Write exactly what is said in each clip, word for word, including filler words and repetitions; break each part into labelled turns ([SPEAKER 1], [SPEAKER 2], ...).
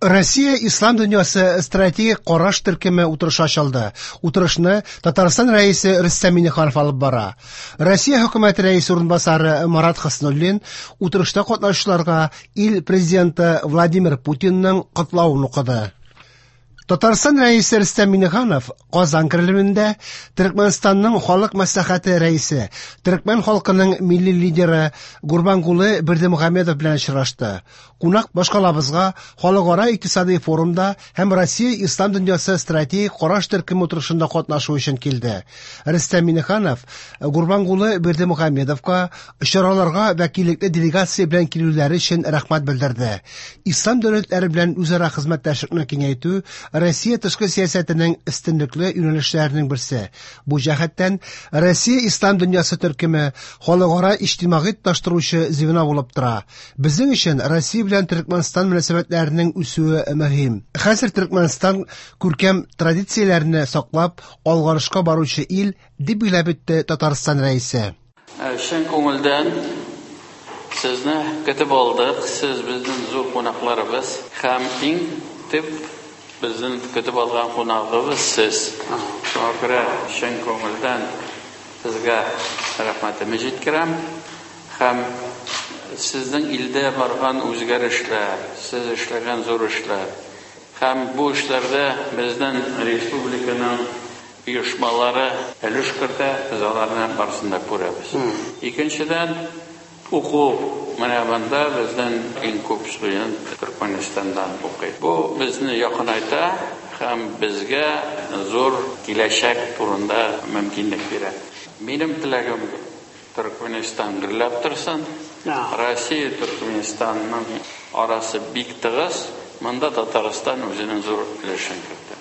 [SPEAKER 1] Россия Ислам дөньясы стратегик караш төркеме утырышы ачылды. Утырышны Татарстан Рәисе Рөстәм Миңнеханов алып бара. Россия хөкүмәте рәисе урынбасары Марат Хөснуллин утырышта катнашучыларга ил президенты Владимир Путинның котлавын укыды. Татарстан Рәисе Рөстәм Миңнеханов Казан Кремлендә Төркмәнстанның Халык Мәслихәте рәисе, төркмән халкының милли лидеры Гурбангулы Бердымөхәммедов белән очрашты. Кунак башкалабызга Халыкара икътисади форумда һәм Россия Ислам дөньясы стратегик караш төркеме утырышында катнашу өчен килде. Рөстәм Миңнеханов Гурбангулы Бердымөхәммедовка чараларга вәкиллекле делегация белән килүләре өчен рәхмәт белдерде. Ислам дәүләтләре белән үзара хезмәттәшлекне киңәйтү Россия тышкы сәясәтенең өстенлекле юнәлешләренең берсе. Бу җәһәттән Россия Ислам дөньясы төркеме халыкара иҗтимагый тоташтыручы звено булып тора. Безнең өчен Россия белән Төркмәнстан мөнәсәбәтләренең үсүе мөһим. Хәзер Төркмәнстан күркәм традицияләрне саклап алгарышка баручы ил, дип билгеләп үтте Татарстан Рәисе.
[SPEAKER 2] Чын күңелдән сезне көтеп алдык. Сез безнең зур кунакларыбыз һәм иң төп безнең көтеп алган кунагыбыз сез. Шуңа күрә чын күңелдән сезгә рәхмәтемне җиткерәм һәм сезнең илдә барган үзгәрешләр, сез эшләгән зур эшләр һәм бу эшләрдә безнең республиканың оешмалары өлеш кертә, без аларны барысын да күрәбез. Икенчедән, уку менә монда безнең иң күп студент Төркмәнстаннан укый. Бу безне якынайта һәм безгә зур киләчәк турында мөмкинлек бирә. Минем теләгем Төркмәнстан гөрләп торсын. Россия Төркмәнстанның арасы бик тыгыз. Монда Татарстан үзенең зур өлешен кертә.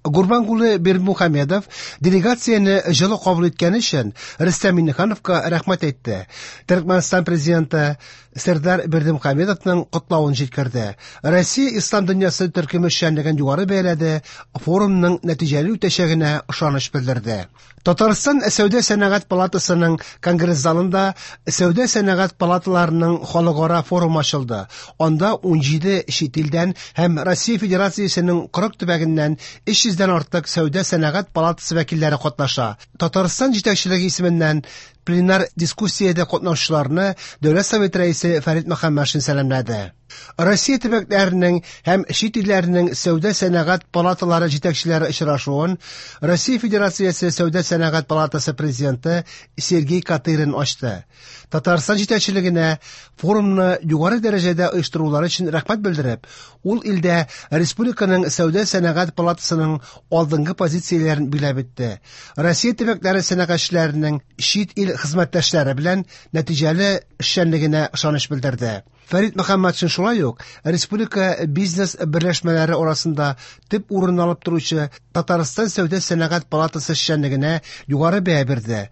[SPEAKER 1] Гурбангулы Бердымөхәммедов делегацияне җылы кабул иткән өчен Рөстәм Миңнехановка рәхмәт әйтте. Төркмәнстан президенты Сердар Бердымөхәммедовның котлавын җиткерде. Россия Ислам дөньясы төркеме эшчәнлеген югары бәяләде, форумның нәтиҗәле үтәчәгенә ышаныч белдерде. Татарстан Сәүдә сәнәгать палатасының конгресс залында Сәүдә сәнәгать палаталарының халыкара форумы ачылды. Анда ун җиде чит илдән һәм Россия Федерациясенең кырык төбәгеннән өч йөздән артык Сәүдә сәнәгать палатасы вәкилләре катнаша. Татарстан җитәкчелеге исеменнән пленар дискуссиядә катнашучыларны Дәүләт Советы рәисе Фәрит Мөхәммәтшин сәламләде. Россия төбәкләренең һәм чит илләренең сәүдә сәнәгать палаталары җитәкчеләре очрашуын Россия Федерациясе Сәүдә сәнәгать палатасы президенты Сергей Катырин ачты. Татарстан җитәкчелегенә форумны югары дәрәҗәдә оештырулары өчен рәхмәт белдереп, ул илдә республиканың Сәүдә сәнәгать палатасының алдынгы позицияләрен биләп үтте. Россия төбәкләре сәнәгатьчеләренең чит ил хезмәттәшләре белән нәтиҗәле эшчәнлегенә ышаныч белдерде. Фәрит Мөхәммәтшин шулай ук республика бизнес берләшмәләре арасында төп урын алып торучы Татарстан Сәүдә сәнәгать палатасы эшчәнлегенә югары бәя бирде.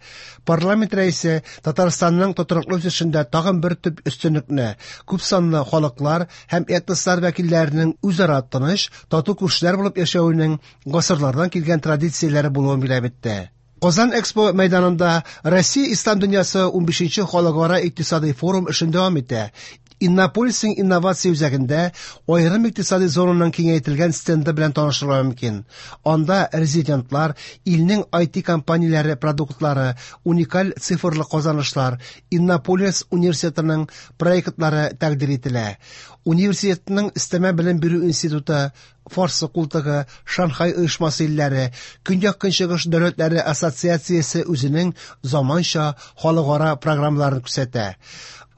[SPEAKER 1] Парламент рәисе Татарстанның тотрыклы үсешендә тагын бер төп өстенлекне күп санлы халыклар һәм этнослар вәкилләренең үзара тыныч, тату күршеләр булып яшәвенең гасырлардан килгән традицияләре булуын билгеләп үтте. Казан Экспо мәйданында Россия Ислам дөньясы унбишенче халыкара икътисади форум эшен дәвам итә. Иннополисның инновация үзәгендә аерым икътисади зонаның киңәйтелгән стенды белән танышырга мөмкин. Анда резидентлар, илнең ай ти компанияләре продуктлары, уникаль цифрлы казанышлар, Иннополис университетының проектлары тәкъдир ителә. Университетның өстәмә белем бирү институты, Фарсы култыгы, Шанхай оешмасы илләре, Көньяк-Көнчыгыш дәүләтләре ассоциациясе үзенең заманча халыкара программаларын күрсәтә.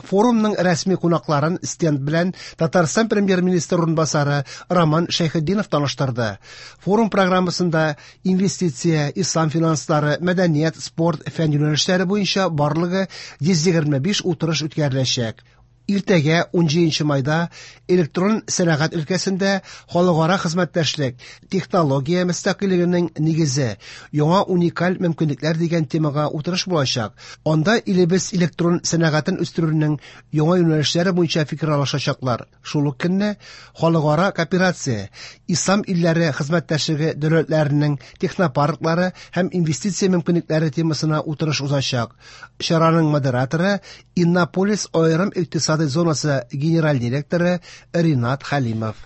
[SPEAKER 1] Форумның рәсми кунакларын стенд белән Татарстан премьер-министры урынбасары Роман Шәйхетдинов таныштырды. Форум программасында инвестиция, ислам финанслары, мәдәният, спорт, фән юнәлешләре буенча барлыгы йөз егерме биш утырыш үткәреләчәк. Иртәгә унҗиденче майда электрон сәнәгать өлкәсендә халыкара хезмәттәшлек, технология мөстәкыйльлегенең нигезе, яңа уникаль мөмкинлекләр дигән темага утырыш булачак. Анда илебез электрон сәнәгатен үстерүнең яңа юнәлешләре буенча фикер алышачаклар. Шул ук көнне халыкара кооперация, ислам илләре хезмәттәшлеге дәүләтләренең технопарклары һәм инвестиция мөмкинлекләре темасына утырыш узачак. Чараның модераторы Иннополис аерым икътисади зонасы генераль директоры Ринат Хәлимов.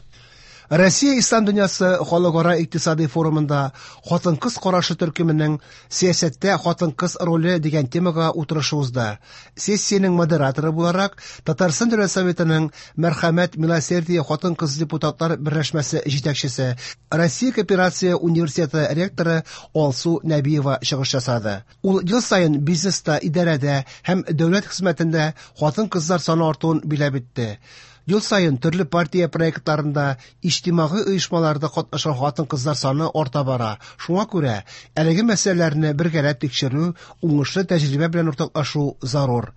[SPEAKER 1] Россия Ислам дөньясы халыкара икътисади форумында хатын-кыз карашы төркеменең сәясәттә хатын-кыз роле дигән темага утырышы узды. Сессиянең модераторы буларак Татарстан Дәүләт Советының Мәрхәмәт Милосердие хатын-кыз депутатлар берләшмәсе җитәкчесе, Россия Кооперация университеты ректоры Алсу Нәбиева чыгыш ясады. Ул ел саен бизнеста, идарәдә һәм дәүләт хезмәтендә хатын-кызлар саны артуын биләп итте. Ел саен төрле партия проектларында, иҗтимагый оешмаларда катнашкан хатын-кызлар саны арта бара. Шуңа күрә әлеге мәсьәләләрне бергәләп тикшерү, уңышлы тәҗрибә белән уртаклашу зарур.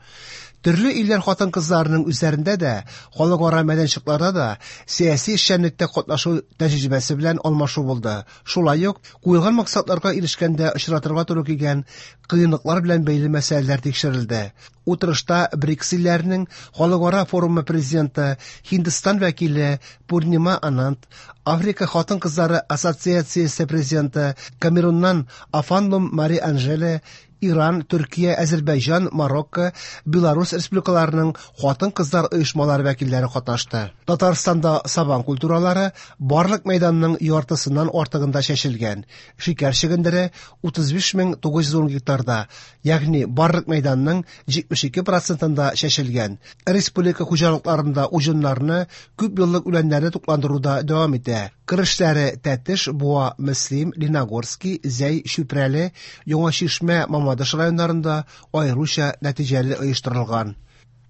[SPEAKER 1] Төрле илләр хатын-кызларының үзләрендә дә, халыкара мәйданчыкларда да сәяси эшчәнлектә катнашу тәҗрибәсе белән алмашу булды. Шулай ук куелган максатларга ирешкәндә очратырга туры килгән кыенлыклар белән бәйле мәсьәләләр тикшерелде. Утырышта БРИКС илләренең халыкара форумы президенты, Һиндстан вәкиле Пурнима Ананд, Африка хатын-кызлары ассоциациясе президенты, Камеруннан Афанлум Мари Анжеле, Иран, Төркия, Әзербайҗан, Марокко, Беларусь республикаларының хатын-кызлар оешмалары вәкилләре катнашты. Татарстанда сабан культуралары барлык мәйданның яртысыннан артыгында чәчелгән. Шикәр чөгендере утыз биш мең тугыз йөз ун гектарда, ягъни барлык мәйданның җитмеш ике процентында чәчелгән. Республика хуҗалыкларында уҗымнарны, күп еллык үләннәрне тукландыруда дәвам итә. Кырышлары Тәтеш, Буа, Мөслим, Леногорский, Зәй, Чүпрәле, Яңа Чишмә, Мамадыш районнарында аеруча нәтиҗәле оештырылган.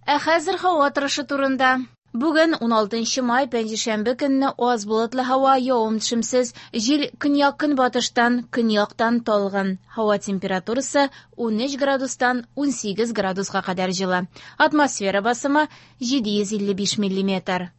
[SPEAKER 3] Ә хәзер һава торышы турында. Бүген уналтынчы май, пәнҗешәмбе көнне аз болытлы һава, явым-төшемсез, җил көньяк-көнбатыштан, көньяктан талгын. Һава температурасы унөч градустан унсигез градуска кадәр җылы. Атмосфера басымы җиде йөз илле биш миллиметр.